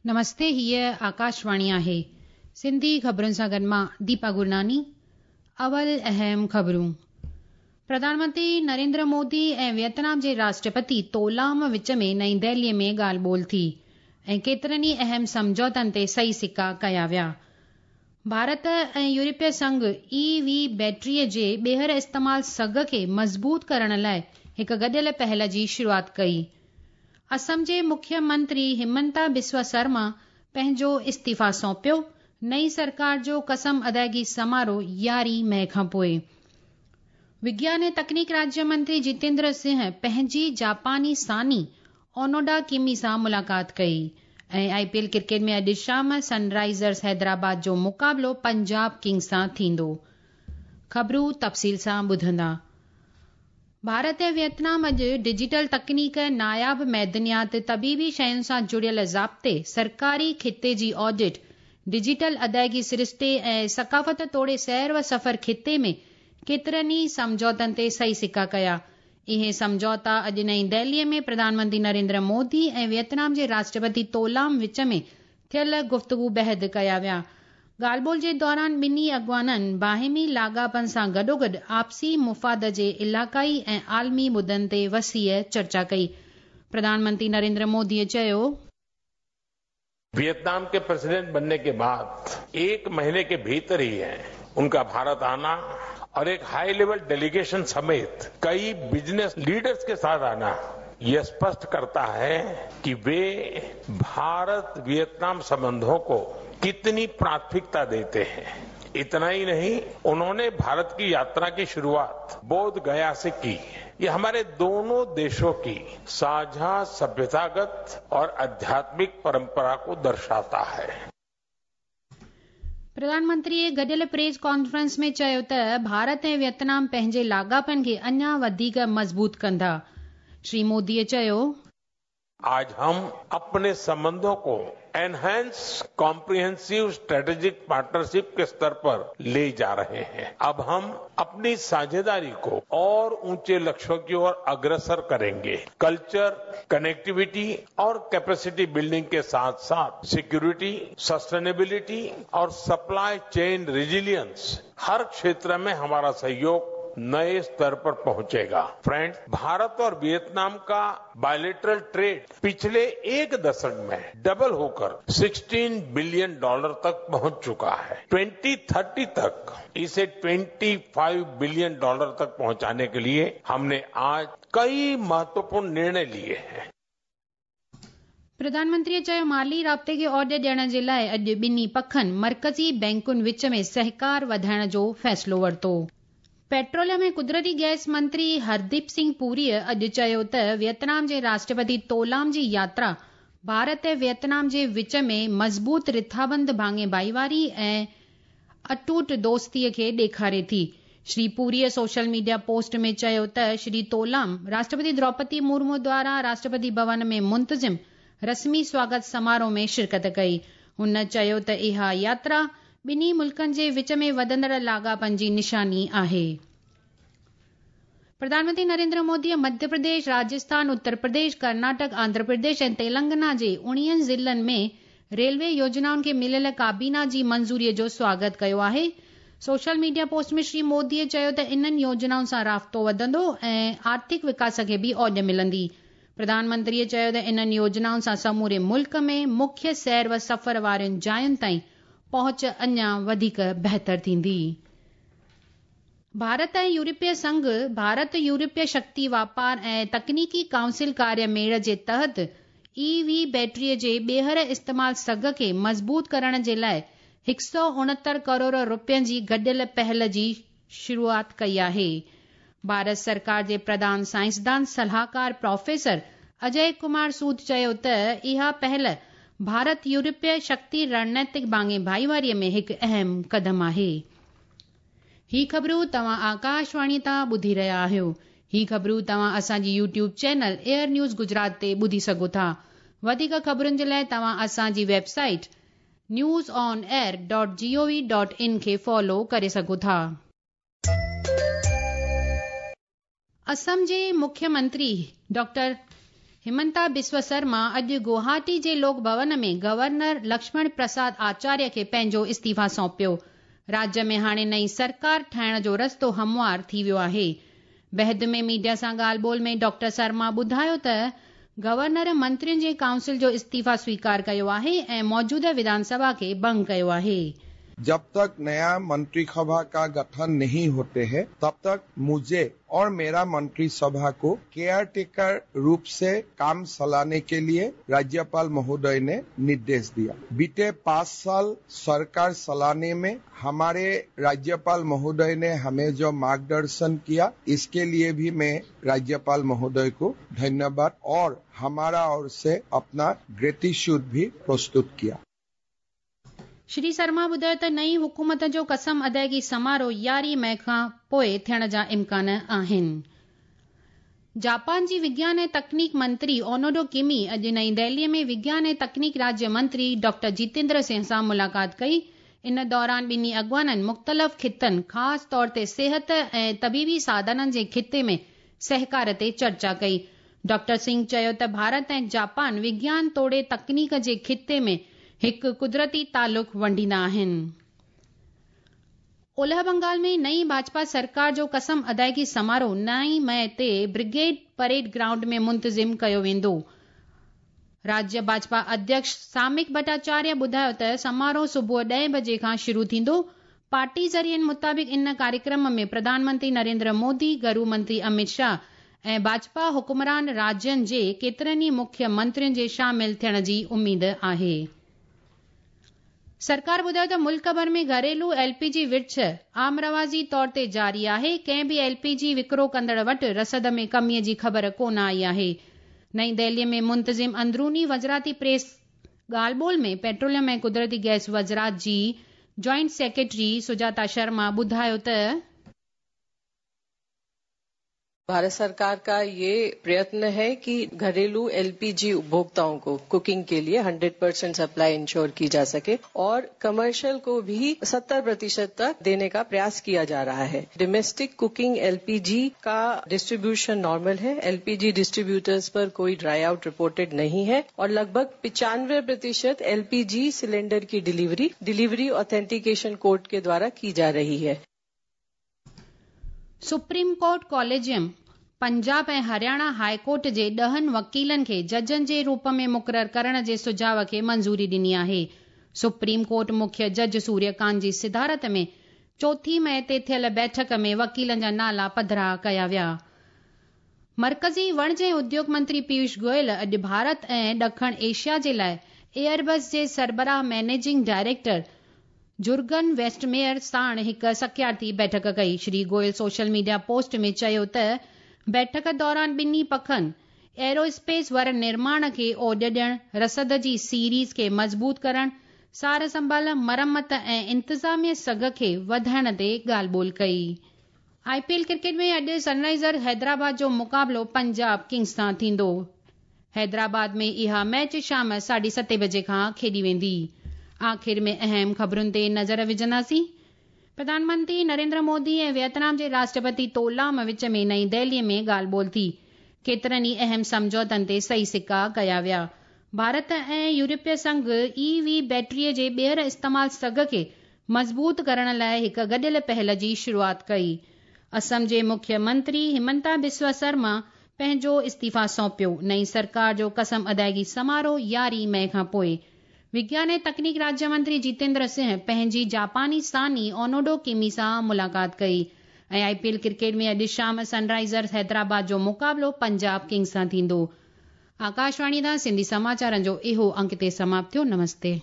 نمستي هيء آڪاشواڻي آهي. سنڌي خبرن سان گڏ مان ديپا گرناني. اول اهم خبرون. پرڌان منتري نريندر مودي ۽ ويتنام جي راشٽرپتي تولام وچ ۾ نئين دهلي ۾ ڳالهه ٻولهه ٿي ۽ ڪيترن ئي اهم سمجهوتن تي صحيح سڪا ڪيا ويا. ڀارت ۽ يورپي سنگهه اي وي بيٽري جي ٻيهر استعمال سگهه کي مضبوط ڪرڻ لاء هڪ گڏيل پهل جي شروعات ڪئي. اسم جي مکيه منتري همنتا بسوا سرما پنهنجو استعيفيٰ سونپيو، نئين سرڪار جو قسم ادائگي سماروهه يارهين مئي کان پوء. وگيان ۽ تڪنيڪ راجيه منتري جتيندر سنگهه پنهنجي جاپاني ثاني اونوڊا ڪيمي سان ملاقات ڪئي ۽ آء پي ايل ڪرڪيٽ ۾ اڄ شام سن رائيزرز حيدرآباد جو مقابلو پنجاب ڪنگز سان ٿيندو. خبرون تفصيل سان ٻڌندا. ڀارت ۽ ويتنام اڄ ڊجيٽل تڪنيڪ، ناياب معدنيات، طبيبي شين سان جڙيل ضابطي، سرڪاري کاتي جي آڊٽ، ڊجيٽل ادائگي سرشتي ۽ ثقافت توڙي سير و سفر خطي ۾ ڪيترن ئي سمجهوتن تي صحيح سڪا ڪيا. اهي سمجهوتا اڄ نئين دهلي ۾ پرڌان منتري نريندر مودي ۽ ويتنام جي راشٽرپتي تولام وچ ۾ ٿيل گفتگو بعد ڪيا ويا. ڳالهه ٻولهه جي دوران ٻنهي اڳواڻن باهمي لاڳاپن سان گڏوگڏ آپسي مفاد جي علائقائي ۽ عالمي مدن تي وسيع چرچا ڪئي. پرڌان منتري نريندر مودي چيو. ويتنام ڪي پريزيڊنٽ بنني ڪي بعد ايڪ مهيني ڪي ڀيتر هي انڪا ڀارت آنا اور ايڪ هائي ليول ڊيليگيشن سميت ڪئي بزنس ليڊرز ڪي ساٿ آنا يه اسپشٽ ڪرتا هي ڪي وي भारत वियतनाम संबंधों को कितनी प्राथमिकता देते हैं। इतना ही नहीं, उन्होंने भारत की यात्रा की शुरुआत बोध गया से की। ये हमारे दोनों देशों की साझा सभ्यतागत और आध्यात्मिक परंपरा को दर्शाता है। پرڌان منتري گڏيل پريس ڪانفرنس ۾ چيو ته ڀارت ۽ ويتنام پنهنجي لاڳاپن کي اڃا وڌيڪ مضبوط ڪندا. شري مودي چيو. آج هم اپني سنبنڌون ڪو انهينس ڪامپريهنسو اسٽريٽجڪ پارٽنرشپ ڪي استر پر لي جا رهي هين. اب هم اپني ساجهيداري ڪو اور اونچي لڪشيون ڪي اور اگرسر ڪرينگي. ڪلچر، ڪنيڪٽيوٽي اور ڪيپيسٽي بلڊنگ ڪي ساٿ ساٿ سيڪيورٽي، سسٽينيبلٽي اور سپلائي چين ريزيلينس هر کيتر ۾ همارا سهيوگ نئي استر پر پهچيگا. فرينڊز، ڀارت اور ويتنام ڪا बायलेटरल ट्रेड पिछले एक दशक में डबल होकर 16 बिलियन डॉलर तक पहुंच चुका है। 2030 तक इसे 25 बिलियन डॉलर तक पहुंचाने के लिए हमने आज कई महत्वपूर्ण निर्णय लिए हैं। پرڌان منتري چيو مالي رابطي کي اوڄ ڏيڻ جي لاء اڄ ٻنهي پکن مرڪزي بئنڪن وچ ۾ سهڪار وڌائڻ جو فيصلو ورتو. پيٽروليم ۽ قدرتي گئس منتري هرديپ سنگهه پوري اڄ چيو ته ويتنام جي راشٽرپتي تولام جي ياترا ڀارت ۽ ويتنام جي وچ ۾ مضبوط رٿابند ڀاڱي ڀائيواري ۽ اٽوٽ دوستي کي ڏيکاري ٿي. شري پوريء سوشل ميڊيا پوسٽ ۾ چيو ته شري تولام راشٽرپتي دروپدي مرمو دواران راشٽرپتي ڀون ۾ منتظم رسمي سواگت سماروهه ۾ شرڪت ڪئي. هن چيو ته اها ياترا ٻنهي ملڪن جي وچ ۾ وڌندڙ لاڳاپن جي نشاني آهي. پرڌان منتري نريندر موديء مڌيه پرديش، راجسٿان، اتر پرديش، ڪرناٽڪ، آنڌرا پرديش ۽ تيلنگانا جي اڻويهن ضلعن ۾ ريلوي يوجنائن کي مليل ڪابينا جي منظوري جو سواگت ڪيو آهي. سوشل ميڊيا پوسٽ ۾ شري موديء چيو ته انهن يوجنائن سان رابطو وڌندو ۽ آرٿڪ وڪاس کي به اوڄ ملندي. پرڌان منتريء چيو ته انهن يوجنائن سان سموري ملڪ ۾ مکيه سير و سفر وارين جاين تائين پهچ اڃا وڌيڪ بهتر ٿيندي. ڀارت ۽ يورپي سنگهه ڀارت-يورپي شڪتي واپار ۽ تڪنيڪي ڪائونسل ڪاريه ميڙ جي تحت اي وي بيٽري جي ٻيهر استعمال سگهه کي مضبوط ڪرڻ جي لاء 169 ڪروڙ رپين جي گڏيل پهل جي شروعات ڪئي آهي. ڀارت سرڪار جي پرڌان سائنسدان صلاحڪار پروفيسر اجي ڪمار سود چيو ته اها پهل ڀارت-يورپي شڪتي رڻنيتڪ ڀاڱي ڀائيواري ۾ هڪ اهم قدم آهي. هي خبرون توهان آڪاشواڻي تان ٻڌي رهيا آهيو. هي خبرون توهان اسان جي YouTube channel air news Gujarat تي ٻڌي سگهو ٿا. وڌيڪ خبرن جي لاء توهان اسان جي website news on air dot G O V dot in کي فالو ڪري سگهو ٿا. اسم جي مکيه منتري ڊاڪٽر همنتا بسوا سرما اڄ گوهاٽي جي لوڪ ڀون ۾ گورنر لڪشمڻ پرساد آچاريه کي پنهنجو استعيفا سونپيو. راجيه ۾ هاڻي نئين سرڪار ٺاهڻ جو رستو هموار ٿي ويو آهي. بعد ۾ ميڊيا سان ڳالهه ٻولهه ۾ ڊاڪٽر سرما ٻڌايو ته گورنر منترين جي ڪائونسل جو استعيفا سويڪار ڪيو آهي ۽ موجوده وڌان سڀا کي ڀنگ ڪيو آهي. जब तक नया मंत्री सभा का गठन नहीं होते हैं तब तक मुझे और मेरा मंत्री सभा को केयर टेकर रूप से काम चलाने के लिए राज्यपाल महोदय ने निर्देश दिया। बीते 5 साल सरकार चलाने में हमारे राज्यपाल महोदय ने हमें जो मार्गदर्शन किया, इसके लिए भी मैं राज्यपाल महोदय को धन्यवाद और हमारा ओर से अपना ग्रेटिट्यूड भी प्रस्तुत किया। श्री शर्मा ॿुधायो त नई हुकूमत जो कसम अदायगी समारोह 11 मई खां पोइ थियण जा इम्कान आहिनि। जापान जी विज्ञान ऐं तकनीक मंत्री ओनोडो किमी अॼु नई दिल्लीअ में विज्ञान ऐं तकनीक राज्य मंत्री डॉक्टर जितेंद्र सिंह सां मुलाक़ात कई। इन दौरान ॿिन्ही अॻवाननि मुख़्तलिफ़ ख़ितनि, ख़ासि तौर ते सिहत ऐं तबीबी साधननि जे ख़िते में सहकार ते चर्चा कई। डॉक्टर सिंह चयो त भारत ऐं जापान विज्ञान तोड़े तकनीक जे ख़िते में हिकु कुदरती तालुक वंडींदा आहिनि। ओलह बंगाल में नई भाजपा सरकार जो कसम अदायगी समारोह 9 मई ते ब्रिगेड परेड ग्राउंड में मुंतज़िम कयो वेंदो। राज्य भाजपा अध्यक्ष सामिक भट्टाचार्य ॿुधायो त समारोह सुबुह 10 बजे खां शुरू थींदो। पार्टी ज़रियनि मुताबिक़ इन कार्यक्रम में प्रधानमंत्री नरेंद्र मोदी, गृह मंत्री अमित शाह ऐं भाजपा हुक्मरान राज्यनि जे केतिरनि ई मुख्य मंत्रियुनि जे शामिल थियण जी उमेद आहे। सरकार ॿुधायो त मुल्क भर में घरेलू एलपीजी विर्छ आम रवाजी तौर ते जारी आहे। कंहिं बि एलपीजी विकिरो कंदड़ वटि रसद में कमीअ जी ख़बर कोन आई आहे। नई दिल्लीअ में मुंतज़िम अंदरूनी वज़राती प्रेस ॻाल्हि ॿोल में पेट्रोलियम ऐं कुदरती गैस वज़रात जी जॉइंट सेक्रेटरी सुजाता शर्मा ॿुधायो त भारत सरकार का ये प्रयत्न है कि घरेलू एलपीजी उपभोक्ताओं को कुकिंग के लिए 100% सप्लाई इंश्योर की जा सके और कमर्शियल को भी 70% तक देने का प्रयास किया जा रहा है। डोमेस्टिक कुकिंग एलपीजी का डिस्ट्रीब्यूशन नॉर्मल है। एलपीजी डिस्ट्रीब्यूटर्स पर कोई ड्राई आउट रिपोर्टेड नहीं है और लगभग 95% एलपीजी सिलेंडर की डिलीवरी ऑथेंटिकेशन कोड के द्वारा की जा रही है। सुप्रीम कोर्ट कॉलेजियम पंजाब ऐं हरियाणा हाई कोर्ट जे 10 वकीलनि खे जजनि जे रूप में मुक़ररु करण जे सुझाव खे मंज़ूरी ॾिनी आहे। सुप्रीम कोर्ट मुख्य जज सूर्यकांत जी सिदारत में 4 मई ते थियल बैठक में वकीलनि जा नाला पधरा कया विया। मर्कज़ी वणिज ऐं उद्योग मंत्री पीयूष गोयल अॼु भारत ऐं ॾखण एशिया जे लाइ एयरबस जे सरबराह मैनेजिंग डायरेक्टर जुर्गन वेस्टमेयर साण हिकु सकियार्थी बैठक कई। Shri Goyal social media post में चयो त बैठक दौरान ॿिन्ही पखनि एरोस्पेस वर निर्माण खे ओॾ ॾियण, रसद जी सीरीज़ खे मज़बूत करण, सार संभाल, मरम्मत ऐं इंतिज़ामिया सघ खे वधाइण ते ॻाल्हि ॿोल कई। आईपीएल क्रिकेट में अॼु सनराइज़र हैदराबाद जो मुक़ाबिलो पंजाब किंग्स सां थींदो। हैदराबाद में इहा मैच शाम 7:30 बजे खां खेॾी वेंदी। आख़िर में अहम ख़बरुनि ते नज़र विझंदासीं। प्रधानमंत्री नरेंद्र मोदी ऐं वियतनाम जे राष्ट्रपति तोलाम विच में नई दिल्लीअ में ॻाल्हि ॿोल थी। केतिरनि ई अहम सम्झौतनि ते सही सिक्का कया विया। भारत ऐं यूरोपीय संघ ईवी बैटरीअ जे ॿीहर इस्तेमाल सघ खे मज़बूत करण लाइ हिकु गॾियल पहल जी शुरूआत कई। असम जे मुख्य मंत्री हिमंता बिस्वा शर्मा पंहिंजो इस्तीफ़ा सौंपियो। नई सरकार जो कसम अदायगी समारोह 11 मई खां पोइ। विज्ञान ऐं तकनीक राज्य मंत्री जितेंद्र सिंह पंहिंजी जापानी सानी ओनोडो किमी सां मुलाक़ात कई। ऐं आईपीएल क्रिकेट में अॼु शाम सनराइज़र्स हैदराबाद जो मुक़ाबिलो पंजाब किंग्स सां थींदो। आकाशवाणी तां सिंधी समाचारनि जो इहो अंक ते समाप्त थियो। नमस्ते।